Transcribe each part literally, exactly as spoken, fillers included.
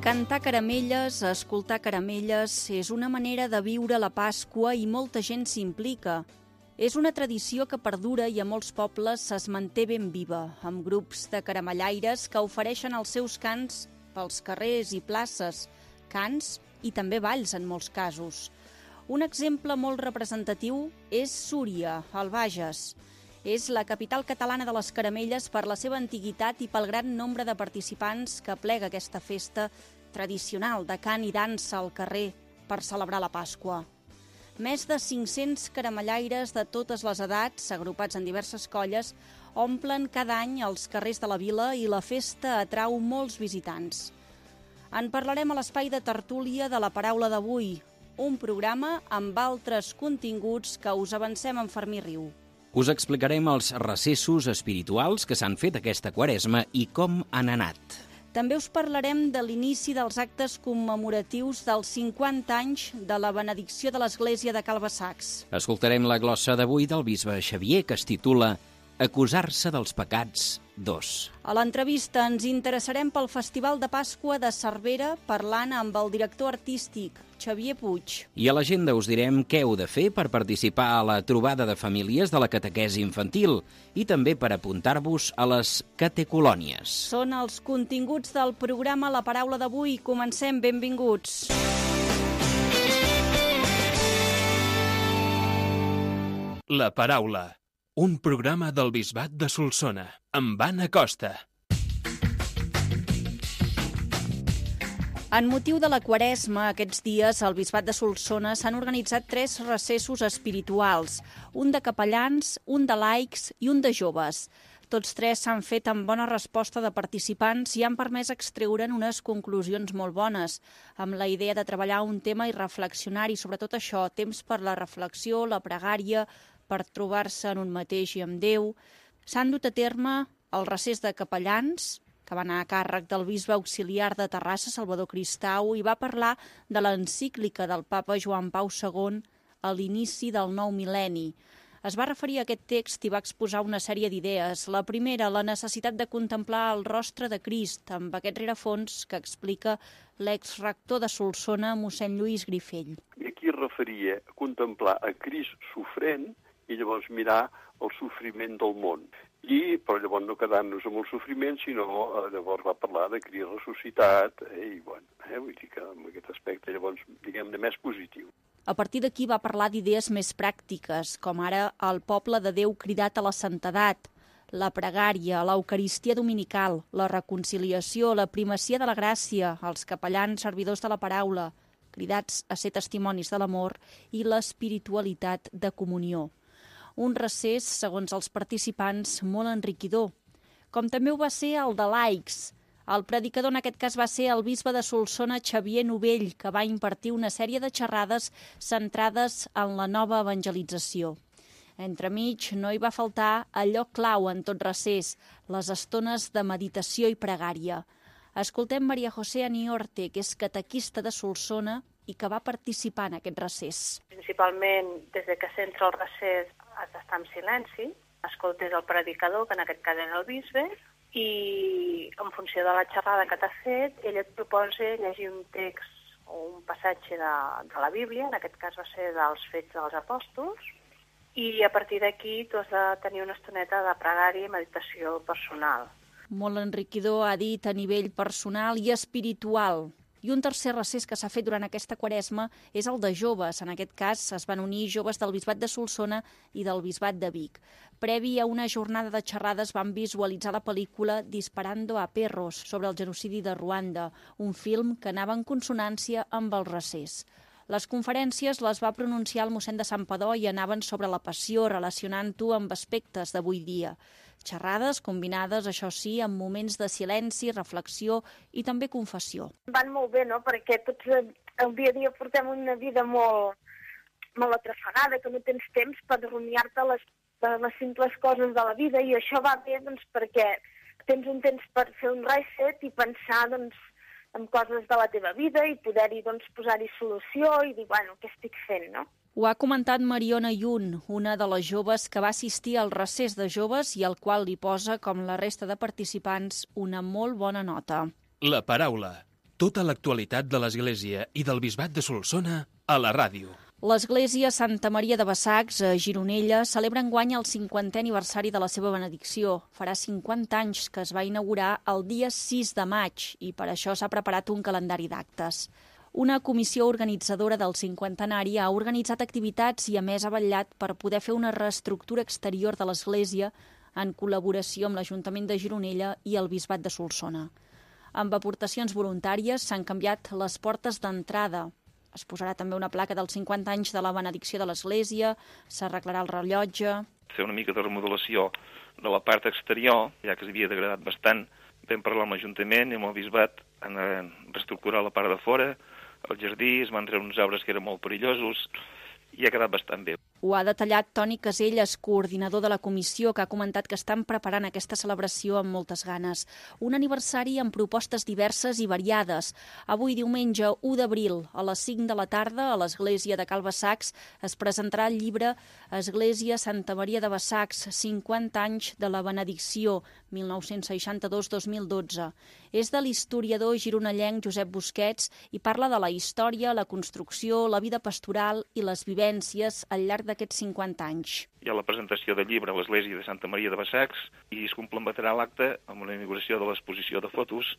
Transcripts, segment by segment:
Cantar caramelles, escoltar caramelles, és una manera de viure la Pasqua i molta gent s'implica. És una tradició que perdura i a molts pobles es manté ben viva, amb grups de caramellaires que ofereixen els seus cants pels carrers i places, cants i també balls en molts casos. Un exemple molt representatiu és Súria, al Bages. És la capital catalana de les caramelles per la seva antiguitat i pel gran nombre de participants que plega aquesta festa tradicional de cant i dansa al carrer per celebrar la Pasqua. Més de cinc-cents caramellaires de totes les edats, agrupats en diverses colles, omplen cada any els carrers de la vila i la festa atrau molts visitants. En parlarem a l'espai de tertúlia de la paraula d'avui, un programa amb altres continguts que us avancem en Fermí Riu. Us explicarem els recessos espirituals que s'han fet aquesta Quaresma i com han anat. També us parlarem de l'inici dels actes commemoratius dels cinquanta anys de la benedicció de l'Església de Calbasacs. Escoltarem la glossa d'avui del bisbe Xavier, que es titula Acusar-se dels pecats dos. A l'entrevista ens interessarem pel Festival de Pasqua de Cervera, parlant amb el director artístic, Xavier Puig. I a l'agenda us direm què heu de fer per participar a la trobada de famílies de la catequesi infantil i també per apuntar-vos a les catecolònies. Són els continguts del programa La Paraula d'avui. Comencem, benvinguts. La Paraula, un programa del Bisbat de Solsona, amb Anna Costa. En motiu de la Quaresma, aquests dies al Bisbat de Solsona s'han organitzat tres recessos espirituals, un de capellans, un de laics i un de joves. Tots tres s'han fet amb bona resposta de participants i han permès extreure'n unes conclusions molt bones, amb la idea de treballar un tema i reflexionar-hi, sobretot això, temps per la reflexió, la pregària, per trobar-se en un mateix i amb Déu. S'han dut a terme el recés de capellans, que va anar a càrrec del bisbe auxiliar de Terrassa, Salvador Cristau, i va parlar de l'encíclica del papa Joan Pau segon a l'inici del nou mil·lenni. Es va referir a aquest text i va exposar una sèrie d'idees. La primera, la necessitat de contemplar el rostre de Crist, amb aquest rerefons que explica l'exrector de Solsona, mossèn Lluís Grifell. I aquí es referia a contemplar a Crist sofrent i llavors mirar el sofriment del món. I, però llavors no quedar-nos amb el sofriment, sinó eh, llavors va parlar de Crist ressuscitat, eh, i bueno, eh, vull dir que en aquest aspecte llavors, diguem-ne, més positiu. A partir d'aquí va parlar d'idees més pràctiques, com ara el poble de Déu cridat a la santedat, la pregària, l'eucaristia dominical, la reconciliació, la primacia de la gràcia, els capellans servidors de la paraula, cridats a ser testimonis de l'amor, i l'espiritualitat de comunió. Un recés, segons els participants, molt enriquidor, com també ho va ser el de laics. El predicador en aquest cas va ser el bisbe de Solsona, Xavier Novell, que va impartir una sèrie de xerrades centrades en la nova evangelització. Entremig no hi va faltar allò clau en tot recés, les estones de meditació i pregària. Escoltem Maria José Aniorte, que és catequista de Solsona i que va participar en aquest recés. Principalment, des de que s'entra el recés, has d'estar en silenci, escoltes el predicador, que en aquest cas era el bisbe, i en funció de la xerrada que t'ha fet, ell et proposa llegir un text o un passatge de, de la Bíblia, en aquest cas va ser dels Fets dels Apòstols, i a partir d'aquí tu has de tenir una estoneta de pregària i meditació personal. Molt enriquidor, ha dit, a nivell personal i espiritual. I un tercer recés que s'ha fet durant aquesta Quaresma és el de joves. En aquest cas es van unir joves del Bisbat de Solsona i del Bisbat de Vic. Previ a una jornada de xerrades van visualitzar la pel·lícula Disparando a Perros sobre el genocidi de Ruanda, un film que anava en consonància amb el recés. Les conferències les va pronunciar el mossèn de Santpedor i anaven sobre la passió, relacionant-ho amb aspectes d'avui dia. Xerrades combinades, això sí, amb moments de silenci, reflexió i també confessió. Van molt bé, no?, perquè tots el dia a dia portem una vida molt, molt atrafegada, que no tens temps per rumiar-te les, les simples coses de la vida, i això va bé, doncs, perquè tens un temps per fer un reset i pensar, doncs, en coses de la teva vida i poder-hi, doncs, posar-hi solució i dir, bueno, què estic fent, no? Ho ha comentat Mariona Yun, una de les joves que va assistir al recés de joves i al qual li posa, com la resta de participants, una molt bona nota. La paraula, Tota l'actualitat de l'Església i del Bisbat de Solsona a la ràdio. L'Església Santa Maria de Bassacs, a Gironella, celebra enguany el cinquantè aniversari de la seva benedicció. Farà cinquanta anys que es va inaugurar el dia sis de maig i per això s'ha preparat un calendari d'actes. Una comissió organitzadora del cinquantenari ha organitzat activitats i a més ha vetllat per poder fer una reestructura exterior de l'Església en col·laboració amb l'Ajuntament de Gironella i el Bisbat de Solsona. Amb aportacions voluntàries s'han canviat les portes d'entrada. Es posarà també una placa dels cinquanta anys de la benedicció de l'Església, s'arreglarà el rellotge. Fer una mica de remodelació de la part exterior, ja que s'havia degradat bastant. Vam parlar amb l'Ajuntament i amb el Bisbat, han reestructurat la part de fora, el jardí, es van treure uns arbres que eren molt perillosos i ha quedat bastant bé. Ho ha detallat Toni Caselles, coordinador de la comissió, que ha comentat que estan preparant aquesta celebració amb moltes ganes. Un aniversari amb propostes diverses i variades. Avui, diumenge u d'abril, a les cinc de la tarda, a l'Església de Cal Bassacs, es presentarà el llibre Església Santa Maria de Bassacs, cinquanta anys de la benedicció, mil nou-cents seixanta-dos a dos mil dotze. És de l'historiador gironellenc Josep Busquets i parla de la història, la construcció, la vida pastoral i les vivències al llarg d'aquests cinquanta anys. Hi ha la presentació del llibre a l'Església de Santa Maria de Bassacs i es complementarà l'acte amb una inauguració de l'exposició de fotos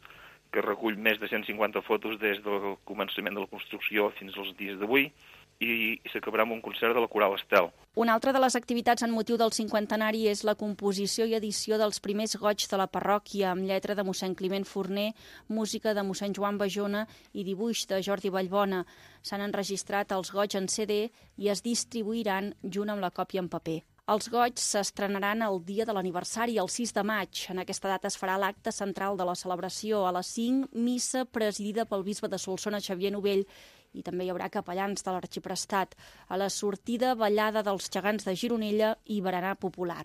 que recull més de cent cinquanta fotos des del començament de la construcció fins als dies d'avui i s'acabarà amb un concert de la Coral Estel. Una altra de les activitats en motiu del cinquantenari és la composició i edició dels primers goigs de la parròquia, amb lletra de mossèn Climent Forner, música de mossèn Joan Bajona i dibuix de Jordi Vallbona. S'han enregistrat els goigs en C D i es distribuiran junt amb la còpia en paper. Els goigs s'estrenaran el dia de l'aniversari, el sis de maig. En aquesta data es farà l'acte central de la celebració. A les cinc, missa presidida pel bisbe de Solsona, Xavier Novell, i també hi haurà capellans de l'Arxiprestat. A la sortida, ballada dels gegants de Gironella i berenar popular.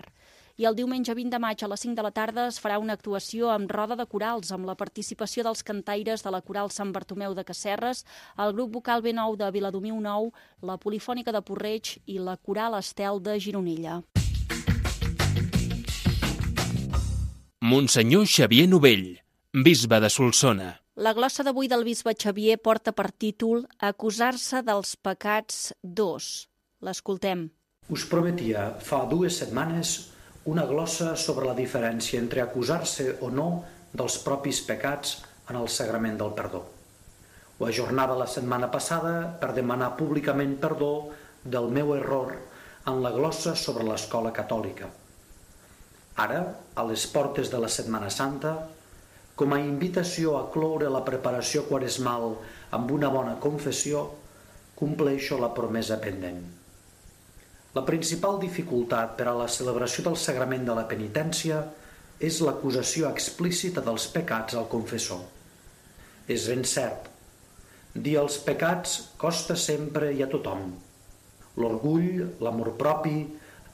I el diumenge vint de maig a les cinc de la tarda es farà una actuació amb roda de corals, amb la participació dels cantaires de la Coral Sant Bartomeu de Casserres, el grup vocal B nou de Viladomiu Nou, la Polifònica de Porreig i la Coral Estel de Gironella. Monsenyor Xavier Novell, bisbe de Solsona. La glossa d'avui del bisbe Xavier porta per títol Acusar-se dels pecats dos. L'escoltem. Us prometia fa dues setmanes una glossa sobre la diferència entre acusar-se o no dels propis pecats en el sagrament del perdó. Ho ajornava la setmana passada per demanar públicament perdó del meu error en la glossa sobre l'escola catòlica. Ara, a les portes de la Setmana Santa, com a invitació a cloure la preparació quaresmal amb una bona confessió, compleixo la promesa pendent. La principal dificultat per a la celebració del sagrament de la penitència és l'acusació explícita dels pecats al confessor. És ben cert, dir els pecats costa sempre i a tothom. L'orgull, l'amor propi,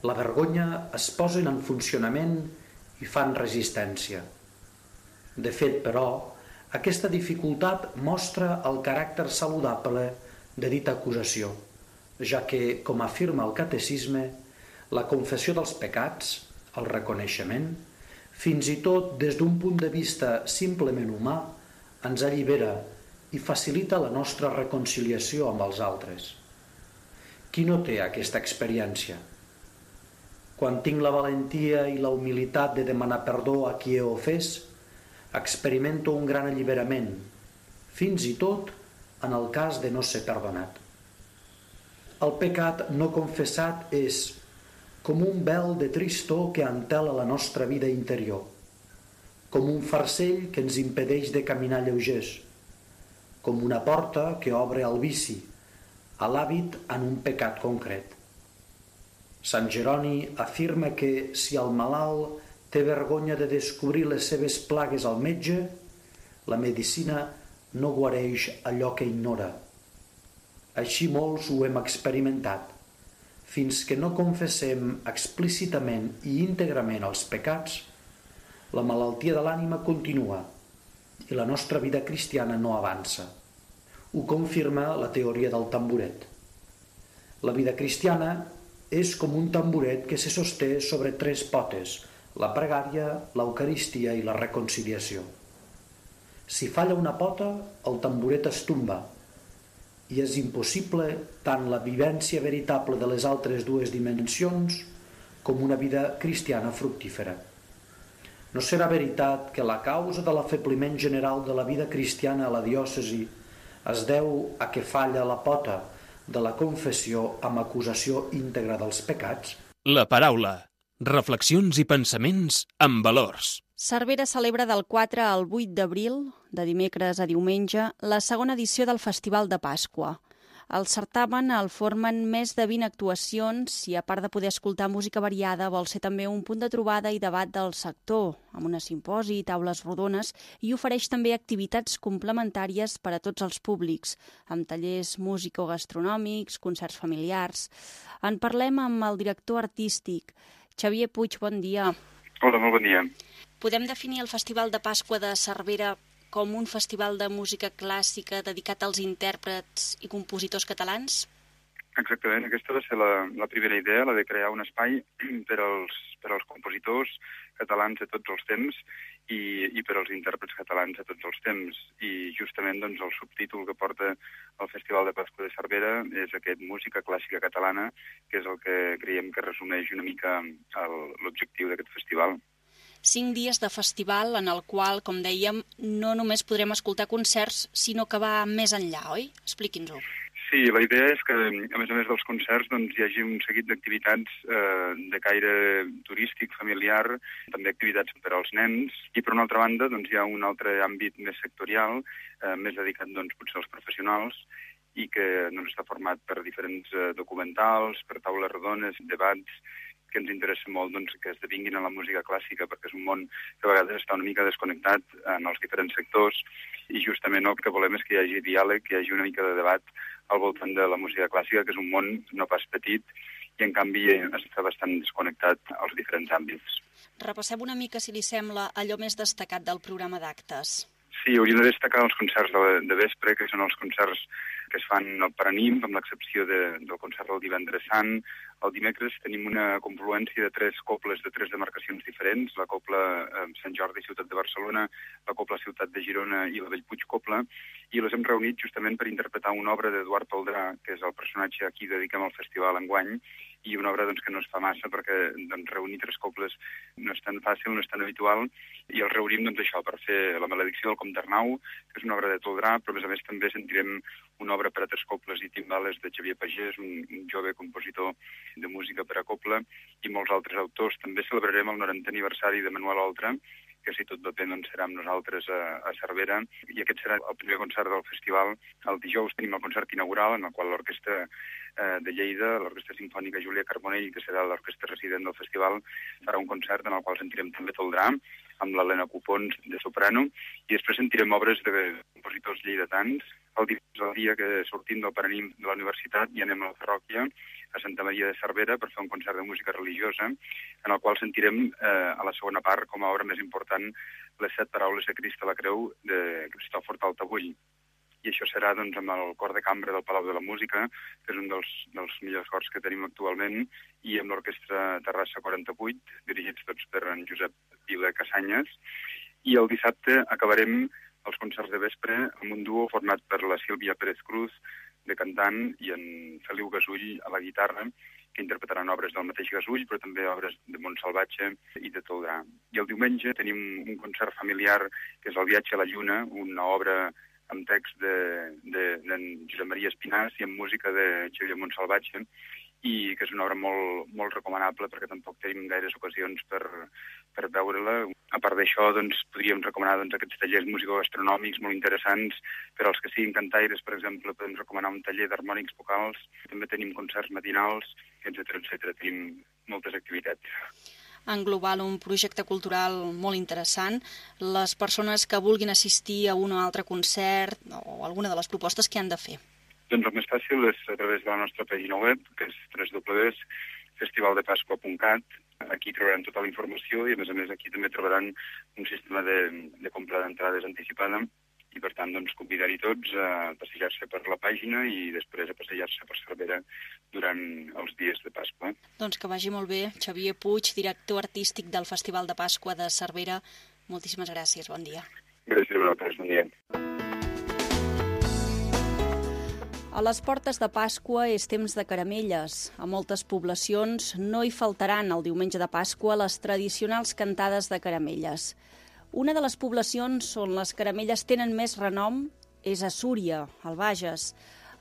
la vergonya es posen en funcionament i fan resistència. De fet, però, aquesta dificultat mostra el caràcter saludable de dita acusació, ja que, com afirma el catecisme, la confessió dels pecats, el reconeixement, fins i tot des d'un punt de vista simplement humà, ens allibera i facilita la nostra reconciliació amb els altres. Qui no té aquesta experiència? Quan tinc la valentia i la humilitat de demanar perdó a qui he ofès, experimento un gran alliberament, fins i tot en el cas de no ser perdonat. El pecat no confessat és com un vel de tristor que entela la nostra vida interior, com un farcell que ens impedeix de caminar lleugers, com una porta que obre al vici, a l'hàbit en un pecat concret. Sant Jeroni afirma que si el malalt té vergonya de descobrir les seves plagues al metge, la medicina no guareix allò que ignora. Així molts ho hem experimentat. Fins que no confessem explícitament i íntegrament els pecats, la malaltia de l'ànima continua i la nostra vida cristiana no avança. Ho confirma la teoria del tamboret. La vida cristiana és com un tamboret que se sosté sobre tres potes, la pregària, l'eucaristia i la reconciliació. Si falla una pota, el tamboret es tomba, i és impossible tant la vivència veritable de les altres dues dimensions com una vida cristiana fructífera. No serà veritat que la causa de l'afebliment general de la vida cristiana a la diòcesi es deu a que falla la pota de la confessió amb acusació íntegra dels pecats? La paraula. Reflexions i pensaments amb valors. Cervera celebra del quatre al vuit d'abril, de dimecres a diumenge, la segona edició del Festival de Pasqua. El certamen el formen més de vint actuacions i, a part de poder escoltar música variada, vol ser també un punt de trobada i debat del sector, amb una simposi, taules rodones, i ofereix també activitats complementàries per a tots els públics, amb tallers músico-gastronòmics, concerts familiars. En parlem amb el director artístic. Xavier Puig, bon dia. Hola, molt bon dia. Podem definir el Festival de Pasqua de Cervera com un festival de música clàssica dedicat als intèrprets i compositors catalans? Exactament, aquesta va ser la, la primera idea, la de crear un espai per als, per als compositors catalans de tots els temps i, i per als intèrprets catalans de tots els temps. I justament doncs, el subtítol que porta el Festival de Pasqua de Cervera és aquest música clàssica catalana, que és el que creiem que resumeix una mica l'objectiu d'aquest festival. Cinc dies de festival en el qual, com dèiem, no només podrem escoltar concerts, sinó que va més enllà, oi? Expliqui'ns-ho. Sí, la idea és que, a més a més dels concerts, doncs, hi hagi un seguit d'activitats eh, de caire turístic, familiar, també activitats per als nens, i per una altra banda doncs, hi ha un altre àmbit més sectorial, eh, més dedicat doncs, potser als professionals, i que doncs, està format per diferents eh, documentals, per taules rodones, debats, que ens interessa molt doncs, que esdevinguin en la música clàssica, perquè és un món que a vegades està una mica desconnectat en els diferents sectors, i justament el que volem és que hi hagi diàleg, que hi hagi una mica de debat al voltant de la música clàssica, que és un món no pas petit, i en canvi està bastant desconnectat als diferents àmbits. Repassem una mica, si li sembla, allò més destacat del programa d'actes. Sí, hauríem de destacar els concerts de, de vespre, que són els concerts que es fan al Paranimf, amb l'excepció de, del concert del divendres sant. El dimecres tenim una confluència de tres cobles de tres demarcacions diferents, la Copla eh, Sant Jordi, Ciutat de Barcelona, la Copla Ciutat de Girona i la Bellpuig Copla, i les hem reunit justament per interpretar una obra d'Eduard Toldrà, que és el personatge a qui dediquem el festival enguany, i una obra doncs, que no es fa massa perquè doncs, reunir tres cobles no és tan fàcil, no és tan habitual, i el reunim doncs, això per fer La maledicció del Comte Arnau, que és una obra de Toldrà, però a més a més també sentirem una obra per a tres cobles i timbales de Xavier Pagès, un, un jove compositor de música per a copla, i molts altres autors. També celebrarem el norantè aniversari de Manuel Oltra, que si tot va bé doncs serà amb nosaltres a, a Cervera, i aquest serà el primer concert del festival. El dijous tenim el concert inaugural, en el qual l'Orquestra eh, de Lleida, l'Orquestra Simfònica Júlia Carbonell, que serà l'orquestra resident del festival, farà un concert en el qual sentirem també Toldrà, amb l'Helena Copons de soprano, i després sentirem obres de compositors lleidatans. El dia, el dia que sortim del Paranimf de la universitat i anem a la parròquia, a Santa Maria de Cervera, per fer un concert de música religiosa, en el qual sentirem eh, a la segona part, com a obra més important, les set paraules de Crist a la Creu de Cristòfor Taltabull. I això serà doncs, amb el cor de cambra del Palau de la Música, que és un dels, dels millors cors que tenim actualment, i amb l'Orquestra Terrassa quaranta-vuit, dirigits tots per en Josep Vila Casanyes. I el dissabte acabarem els concerts de vespre amb un duo format per la Sílvia Pérez Cruz, de cantant, i en Feliu Gasull a la guitarra, que interpretaran obres del mateix Gasull, però també obres de Montsalvatge i de Toldrà. I el diumenge tenim un concert familiar, que és El viatge a la lluna, una obra amb text de, de, de Josep Maria Espinàs i amb música de Xavier Montsalvatge, i que és una obra molt, molt recomanable perquè tampoc tenim gaires ocasions per, per veure-la. A part d'això, doncs, podríem recomanar doncs, aquests tallers musicogastronòmics molt interessants per als que siguin cantaires, per exemple, podem recomanar un taller d'harmònics vocals, també tenim concerts matinals, etcètera, etcètera. Tenim moltes activitats. En global, un projecte cultural molt interessant. Les persones que vulguin assistir a un o altre concert o alguna de les propostes que han de fer. Doncs el més fàcil és a través de la nostra pàgina web, que és w w w punt festival de pasqua punt cat. Aquí trobaran tota la informació i, a més a més, aquí també trobaran un sistema de, de compra d'entrades anticipada i, per tant, doncs, convidar-hi tots a passejar-se per la pàgina i després a passejar-se per Cervera durant els dies de Pasqua. Doncs que vagi molt bé. Xavier Puig, director artístic del Festival de Pasqua de Cervera. Moltíssimes gràcies. Bon dia. Gràcies a vosaltres, bon dia. A les portes de Pasqua és temps de caramelles. A moltes poblacions no hi faltaran el diumenge de Pasqua les tradicionals cantades de caramelles. Una de les poblacions on les caramelles tenen més renom és a Súria, al Bages.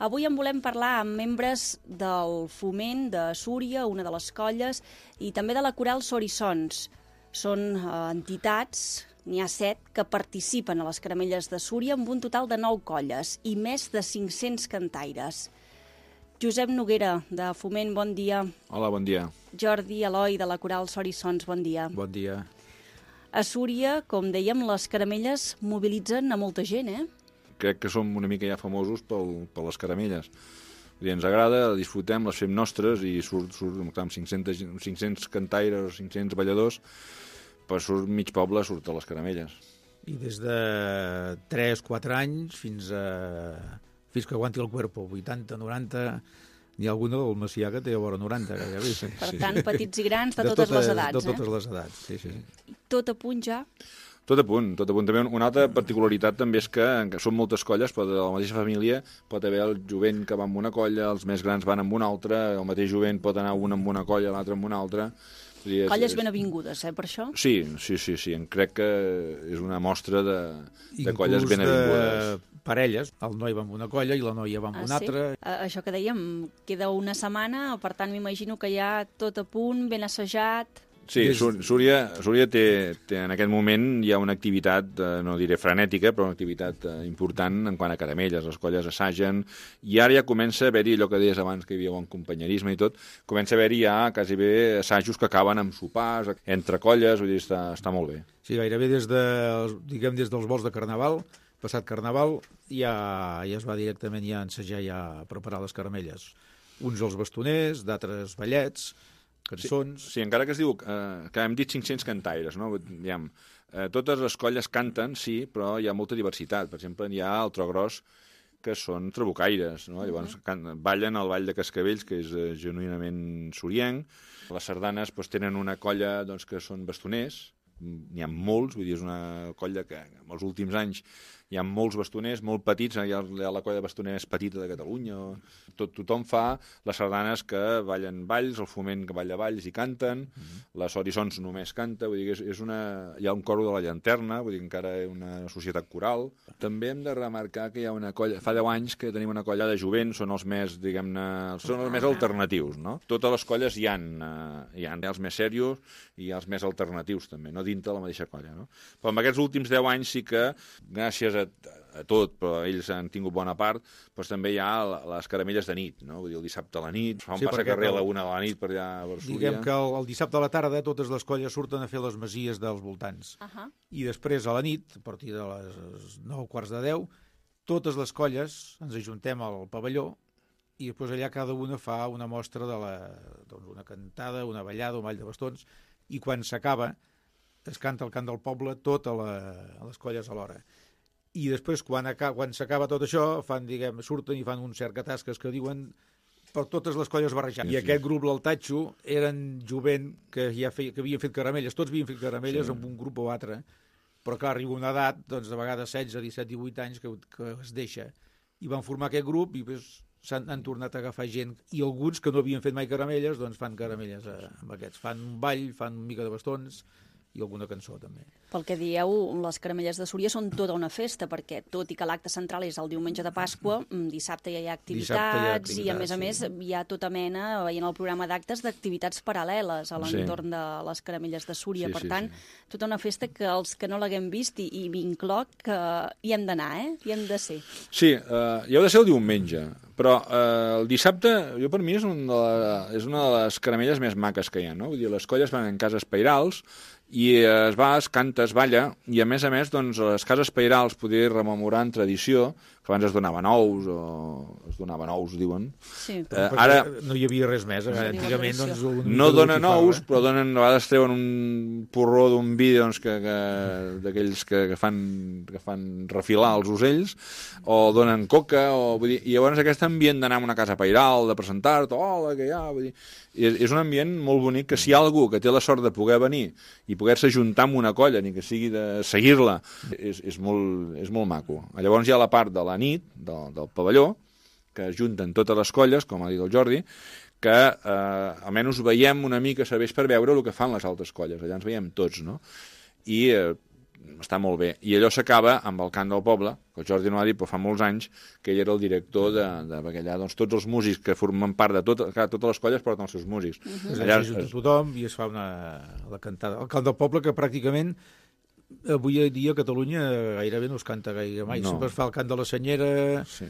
Avui en volem parlar amb membres del Foment de Súria, una de les colles, i també de la Coral Sorissons. Són eh, entitats, n'hi ha set, que participen a les caramelles de Súria amb un total de nou colles i més de cinc-cents cantaires. Josep Noguera, de Foment, bon dia. Hola, bon dia. Jordi Eloi, de la Coral Sorissons, bon dia. Bon dia. A Súria, com dèiem, les caramelles mobilitzen a molta gent, eh? Crec que som una mica ja famosos pel, per les caramelles. I ens agrada, disfrutem, les fem nostres i surt, surt amb cinc-cents, cinc-cents cantaires, cinc-cents balladors, per surt mig poble surt a les caramelles. I des de tres quatre anys fins a fins que aguanti el cuerpo, vuitanta, noranta, n'hi ha alguna del Macià que té a vora noranta. Gairebé. Sí, per sí, tant, sí. petits i grans de, de totes, totes les edats. De totes eh? les edats, sí, sí. Tot a punt ja? Tot a punt, tot a punt. També una altra particularitat també és que, que són moltes colles, però de la mateixa família pot haver el jovent que va amb una colla, els més grans van amb una altra, el mateix jovent pot anar un amb una colla, l'altre amb una altra. És, colles és... ben avingudes, eh, per això? Sí, sí, sí, sí. Crec que és una mostra de, de colles ben avingudes. De parelles, el noi va amb una colla i la noia va amb ah, una sí? altra. A, això que dèiem, queda una setmana, per tant m'imagino que ja tot a punt, ben assajat. Sí, Súria, Súria té, té, en aquest moment hi ha una activitat, eh, no diré frenètica, però una activitat eh, important en quant a caramelles. Les colles assagen, i ara ja comença a haver-hi, allò que deies abans, que hi havia bon companyerisme i tot, comença a haver-hi ja quasi bé assajos que acaben amb sopars, entre colles, vull dir, està, està molt bé. Sí, gairebé des, de, diguem, des dels vols de Carnaval, passat Carnaval, ja, ja es va directament ja ensejar ja a preparar les caramelles. Uns els bastoners, d'altres ballets, cançons... Sí, sí, encara que es diu eh, que hem dit cinc-cents cantaires, no? Diguem, eh, totes les colles canten, sí, però hi ha molta diversitat. Per exemple, hi ha el tro gros, que són trabucaires, no? Uh-huh. Llavors can, ballen el ball de Cascavells, que és eh, genuïnament sorienc. Les sardanes doncs, tenen una colla doncs, que són bastoners, n'hi ha molts, vull dir, és una colla que en els últims anys hi ha molts bastoners, molt petits, hi ha la colla de bastoners petita de Catalunya. Tot, tothom fa les sardanes que ballen balls, el Foment que balla balls i canten, mm-hmm. les Sorissons només canta, vull dir que és, és una... hi ha un coro de la llanterna, vull dir que encara és una societat coral. També hem de remarcar que hi ha una colla, fa deu anys que tenim una colla de jovent, són els més, diguem-ne, són els més alternatius, no? Totes les colles hi ha, hi ha els més serios i els més alternatius també, no dintre la mateixa colla, no? Però en aquests últims deu anys sí que, gràcies a, a tot, però ells han tingut bona part, doncs també hi ha les caramelles de nit, no? Vull dir, el dissabte a la nit, fa un sí, passacarrer a la una de la nit per allà a Súria. Diguem que el, el dissabte a la tarda totes les colles surten a fer les masies dels voltants. Uh-huh. I després a la nit, a partir de les nou quarts de deu, totes les colles ens ajuntem al pavelló i després allà cada una fa una mostra de la, doncs una cantada, una ballada, un ball de bastons, i quan s'acaba es canta el cant del poble tot a, la, a les colles alhora. I després, quan, quan s'acaba tot això, fan, diguem, surten i fan un cert catasques que diuen per totes les colles barrejades. I aquest grup, l'Altatxo, eren jovent que ja feia, que havien fet caramelles, tots havien fet caramelles sí. amb un grup o altre, però clar, arriba una edat, doncs de vegades setze, disset, divuit anys que, que es deixa. I van formar aquest grup i doncs, s'han han tornat a agafar gent, i alguns que no havien fet mai caramelles, doncs fan caramelles eh, amb aquests. Fan un ball, fan una mica de bastons, i alguna cançó també. Pel que dieu, les caramelles de Súria són tota una festa, perquè tot i que l'acte central és el diumenge de Pasqua, dissabte ja hi ha activitats, hi ha activitats i a més a més sí. hi ha tota mena, veient el programa d'actes, d'activitats paral·leles a l'entorn sí. de les caramelles de Súria. Sí, per sí, tant, sí. tota una festa que els que no l'haguem vist, i, i m'incloc, que hi hem d'anar, eh? Hi hem de ser. Sí, uh, hi heu de ser el diumenge, però uh, el dissabte, jo per mi és, un de la, és una de les caramelles més maques que hi ha, no? Vull dir, les colles van en cases pairals, i es va, es canta, es balla, i a més a més, doncs, les cases pairals, poder rememorar en tradició, que abans es donaven ous, o es donaven ous, diuen. Sí, però uh, ara no hi havia res més. Eh? Antigament, doncs... No donen ous, però donen, a vegades treuen un porró d'un vi doncs, que, que, d'aquells que, que, fan, que fan refilar els ocells, o donen coca, o, vull dir, i llavors aquest ambient d'anar a una casa pairal, de presentar-te, hola, que hi ha, vull dir, és, és un ambient molt bonic que si hi ha algú que té la sort de poder venir i poder-se juntar amb una colla, ni que sigui de seguir-la, és, és, molt, és molt maco. Llavors hi ha la part de la nit, del, del pavelló, que junten totes les colles, com ha dit el Jordi, que eh, almenys veiem una mica serveix per veure el que fan les altres colles. Allà ens veiem tots, no? I eh, està molt bé. I allò s'acaba amb el cant del poble, que el Jordi no ha dit, però fa molts anys que ell era el director de, de perquè allà doncs, tots els músics que formen part de tot, clar, totes les colles porten els seus músics. Uh-huh. Allà es junta tothom i es fa una, la cantada. El cant del poble, que pràcticament avui dia a Catalunya gairebé no es canta gaire mai. No. Sempre es fa el cant de la senyera, sí,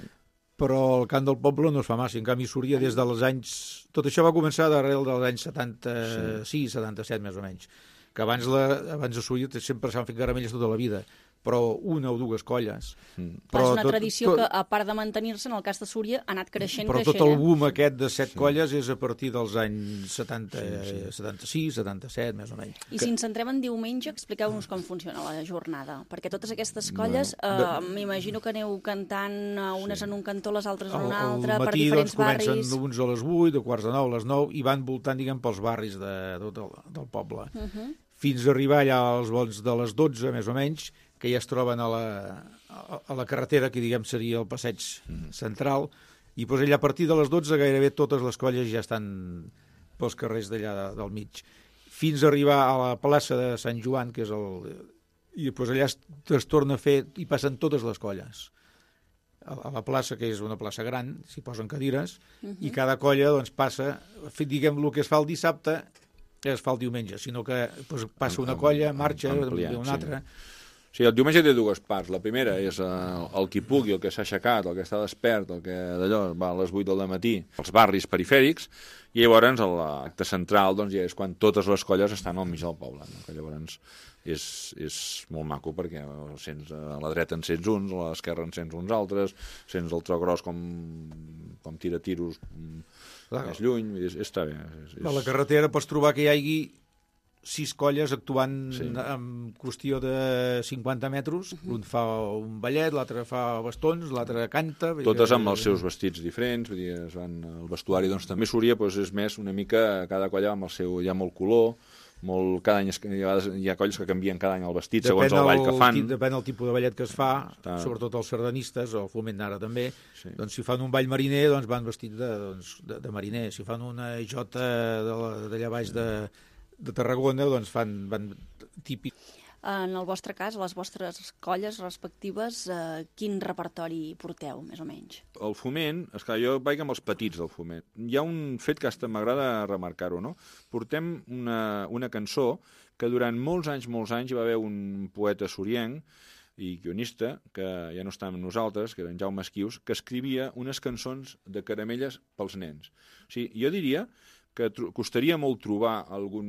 però el cant del poble no es fa massa. En canvi, Súria des dels anys... Tot això va començar d'arrel dels anys setanta-sis, setanta-set, més o menys. Que abans, la, abans de Súria sempre s'han fet caramelles tota la vida, però una o dues colles. Mm. Però és una tot, tradició tot, que, a part de mantenir-se, en el cas de Súria, ha anat creixent, però creixent. Però tot el boom aquest de set sí. colles és a partir dels anys setanta, sí, sí. setanta-sis, setanta-set, més o menys. I que... si ens centrem en diumenge, expliqueu-nos com funciona la jornada, perquè totes aquestes colles, bueno, de... eh, m'imagino que aneu cantant unes sí. en un cantó, les altres en un altre, matí, per diferents doncs, barris. Comencen uns a les vuit, de quarts de nou, a les nou, i van voltant, diguem, pels barris de, tot el, del poble. Uh-huh. Fins a arribar allà als volts de les dotze, més o menys, que ja es troben a la, a la carretera, que diguem seria el passeig central, i doncs allà a partir de les dotze gairebé totes les colles ja estan pels carrers d'allà del mig. Fins a arribar a la plaça de Sant Joan, que és el... i doncs allà es, es torna a fer, i passen totes les colles. A la plaça, que és una plaça gran, s'hi posen cadires, uh-huh. i cada colla doncs, passa, diguem, el que es fa el dissabte, es fa el diumenge, sinó que doncs, passa una colla, marxa, ampliat, una altra... Sí. Sí, el diumenge té dues parts. La primera és el, el qui pugui, el que s'ha aixecat, el que està despert, el que d'allò va a les vuit del matí, els barris perifèrics, i llavors l'acte central doncs, ja és quan totes les colles estan al mig del poble. No? Que llavors és, és molt maco perquè sents, a la dreta en sents uns, a l'esquerra en sents uns altres, sents el tro gros com, com tira tiros Clar. més lluny, és, està bé. És, és... A la carretera pots trobar que hi hagi sis colles actuant sí. en qüestió de cinquanta metres. Uh-huh. Un fa un ballet, l'altre fa bastons, l'altre canta... Totes amb els seus vestits diferents, vull dir, es van, el vestuari doncs, també Súria doncs, és més una mica, cada colla amb el seu, hi ha molt color, molt, cada any es, hi, ha, hi ha colles que canvien cada any el vestit, depèn segons el ball que fan. Depèn del tipus de ballet que es fa, Està... sobretot els sardanistes, o el foment d'ara també, sí. doncs si fan un ball mariner, doncs van vestits de, doncs, de, de mariner. Si fan una jota d'allà baix de... de Tarragona, doncs fan, van típic. En el vostre cas, a les vostres colles respectives, eh, quin repertori porteu, més o menys? El foment, esclar, jo vaig amb els petits del foment. Hi ha un fet que hasta m'agrada remarcar-ho, no? Portem una, una cançó que durant molts anys, molts anys hi va haver un poeta sorienc i guionista, que ja no està amb nosaltres, que era en Jaume Esquius, que escrivia unes cançons de caramelles pels nens. O sigui, jo diria que costaria molt trobar algun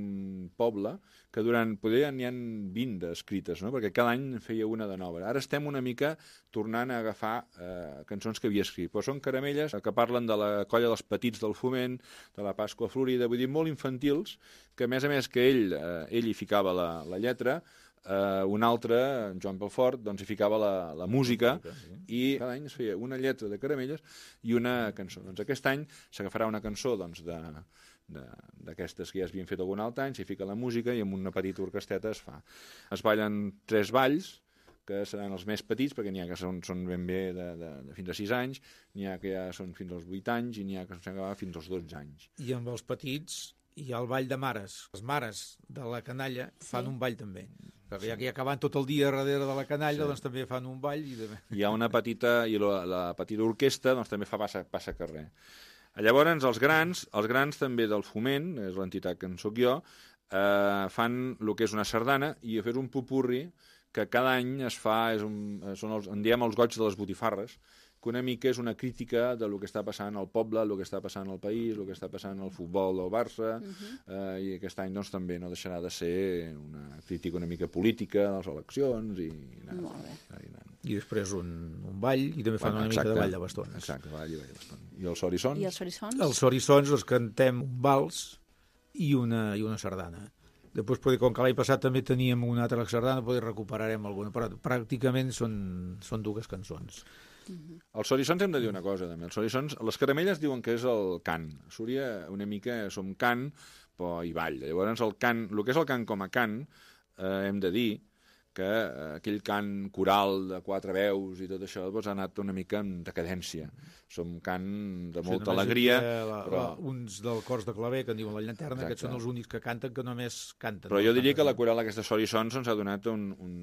poble que durant, poder n'hi ha vint d'escrites, no? Perquè cada any feia una de nova. Ara estem una mica tornant a agafar eh, cançons que havia escrit, però són caramelles que parlen de la colla dels petits del foment, de la Pasqua Florida, vull dir, molt infantils, que a més a més que ell, eh, ell hi ficava la, la lletra, Uh, un altre, en Joan Pelfort, doncs hi ficava la, la música, sí. I cada any es feia una lletra de caramelles i una cançó. Doncs aquest any s'agafarà una cançó doncs, de, d'aquestes que ja s'havien fet algun altre any, s'hi fica la música i amb una petita orquesteta es fa. Es ballen tres balls, que seran els més petits, perquè n'hi ha que són, són ben bé de, de, de fins a sis anys, n'hi ha que ja són fins als vuit anys i n'hi ha que s'han acabat fins als dotze anys. I amb els petits hi ha el ball de mares. Les mares de la canalla fan sí. un ball també. Perquè ja que hi acabant tot el dia darrere de la canalla, sí. doncs també fan un ball. I de... Hi ha una petita, i la, la petita orquestra doncs també fa passa, passa carrer. Llavors, els grans, els grans també del foment, és l'entitat que en soc jo, eh, fan el que és una sardana i fer un popurri que cada any es fa, és un, són els, en diem els goig de les botifarres, que una mica és una crítica de lo que està passant al poble, el que està passant al país, el que està passant al futbol del Barça, uh-huh. eh, i aquest any doncs, també no deixarà de ser una crítica una mica política de les eleccions. I, i, Molt bé. I, i després un, un un ball i també fan Bueno, una exacte, mica de ball de bastons. Exacte, ball i ball de bastons. I els sorissons? I els sorissons? Els sorissons els cantem un vals i una, i una sardana. Després, poder, com que l'any passat també teníem una altra sardana, poder recuperarem alguna, però pràcticament són, són dues cançons. Uh-huh. Els sorissons hem de dir una cosa, també. Els sorissons, les caramelles diuen que és el cant. A Súria una mica som cant, però hi ball. Llavors, el cant, el que és el cant com a cant, eh, hem de dir que eh, aquell cant coral de quatre veus i tot això doncs, ha anat una mica en decadència. Som cant de molta sí, alegria. La, però... la, uns del cors de claver, que en diuen la llanterna, Exacte. Aquests són els únics que canten, que només canten. Però jo diria que la coral aquesta sorissons ens ha donat un, un,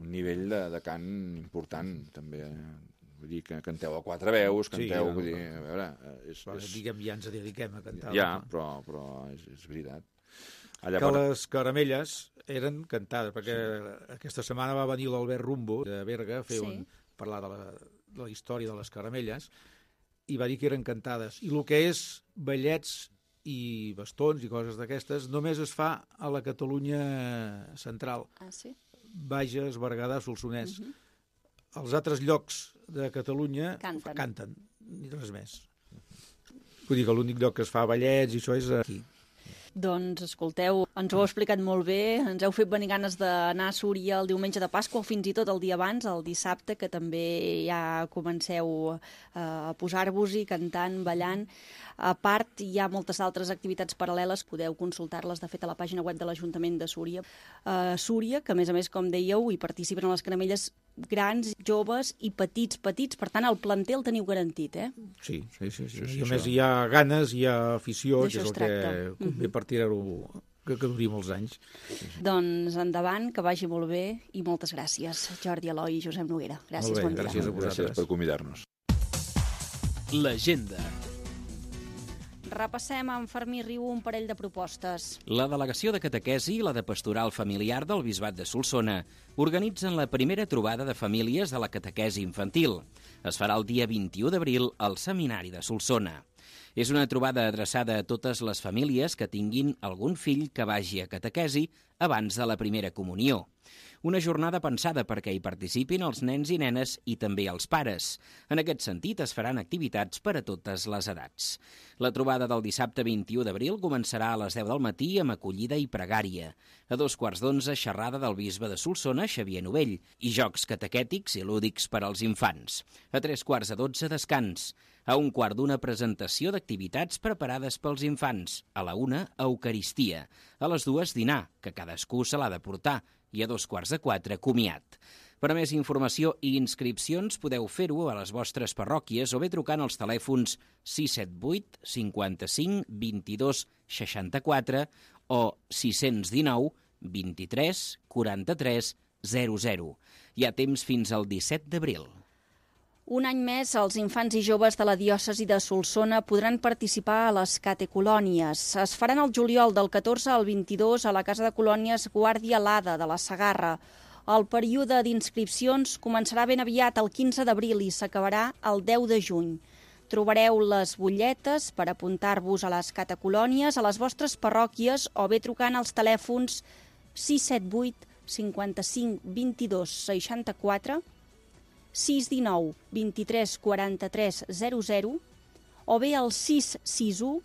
un nivell de, de cant important, també. Vull dir que canteu a quatre veus, canteu... Sí, vull dir, a veure, és, però, és... diguem, ja ens dediquem a cantar. Ja, però, però és, és veritat. Allà que per... les caramelles eren cantades, perquè sí. aquesta setmana va venir l'Albert Rumbo de Berga a fer sí. un, parlar de la, de la història de les caramelles i va dir que eren cantades. I el que és ballets i bastons i coses d'aquestes només es fa a la Catalunya central. Ah, sí? Bages, Berguedà, Solsonès. Uh-huh. Els altres llocs de Catalunya canten, canten ni res més. Vull dir que l'únic lloc que es fa ballets i això és aquí. Doncs, escolteu, ens ho heu explicat molt bé, ens heu fet venir ganes d'anar a Súria el diumenge de Pasqua o fins i tot el dia abans, el dissabte, que també ja comenceu a posar-vos-hi, cantant, ballant. A part, hi ha moltes altres activitats paral·leles, podeu consultar-les, de fet, a la pàgina web de l'Ajuntament de Súria. Uh, Súria, que a més a més, com dèieu, hi participen a les caramelles grans, joves i petits, petits. Per tant, el planter el teniu garantit, eh? Sí, sí, sí. sí, sí I a més hi ha ganes, hi ha afició, que és el que convé per tirar-ho, que, que duri molts anys. Doncs endavant, que vagi molt bé i moltes gràcies, Jordi Eloi i Josep Noguera. Gràcies, molt bé, bon dia. Gràcies a vosaltres. Gràcies per convidar-nos. L'agenda. Repassem amb Fermí Riu un parell de propostes. La delegació de catequesi i la de pastoral familiar del Bisbat de Solsona organitzen la primera trobada de famílies de la catequesi infantil. Es farà el dia vint-i-u d'abril al Seminari de Solsona. És una trobada adreçada a totes les famílies que tinguin algun fill que vagi a catequesi abans de la primera comunió. Una jornada pensada perquè hi participin els nens i nenes i també els pares. En aquest sentit, es faran activitats per a totes les edats. La trobada del dissabte vint-i-u d'abril començarà a les deu del matí amb acollida i pregària. A dos quarts d'onze, xerrada del bisbe de Solsona, Xavier Novell, i jocs catequètics i lúdics per als infants. A tres quarts de dotze, descans. A un quart d'una, presentació d'activitats preparades pels infants. A la una, Eucaristia. A les dues, dinar, que cadascú se l'ha de portar. I a dos quarts de quatre, comiat. Per a més informació i inscripcions podeu fer-ho a les vostres parròquies o bé trucant als telèfons sis set vuit, cinquanta-cinc, vint-i-dos, seixanta-quatre o sis cents dinou, vint-i-tres, quaranta-tres, zero zero. Hi ha temps fins al disset d'abril. Un any més, els infants i joves de la diòcesi de Solsona podran participar a les catecolònies. Es faran el juliol del catorze al vint-i-dos a la Casa de Colònies Guàrdia Lada de la Segarra. El període d'inscripcions començarà ben aviat, el quinze d'abril, i s'acabarà el deu de juny. Trobareu les butlletes per apuntar-vos a les catecolònies a les vostres parròquies o bé trucant als telèfons sis set vuit, cinquanta-cinc, vint-i-dos, seixanta-quatre, sis dinou, vint-i-tres, quaranta-tres, zero zero o bé al sis sis u,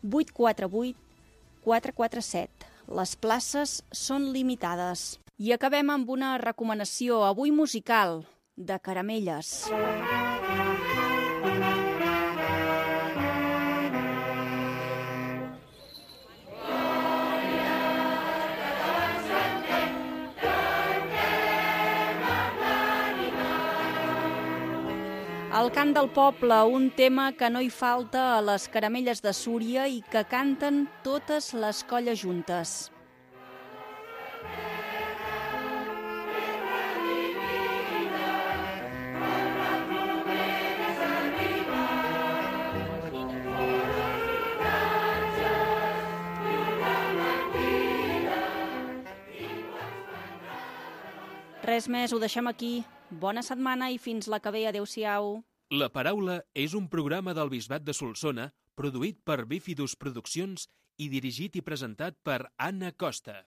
vuit quatre vuit, quatre quatre set. Les places són limitades. I acabem amb una recomanació, avui musical, de Caramelles. El cant del poble, un tema que no hi falta a les Caramelles de Súria i que canten totes les colles juntes. Res més, ho deixem aquí. Bona setmana i fins la que ve. Adéu-siau. La Paraula és un programa del Bisbat de Solsona produït per Bífidus Produccions i dirigit i presentat per Anna Costa.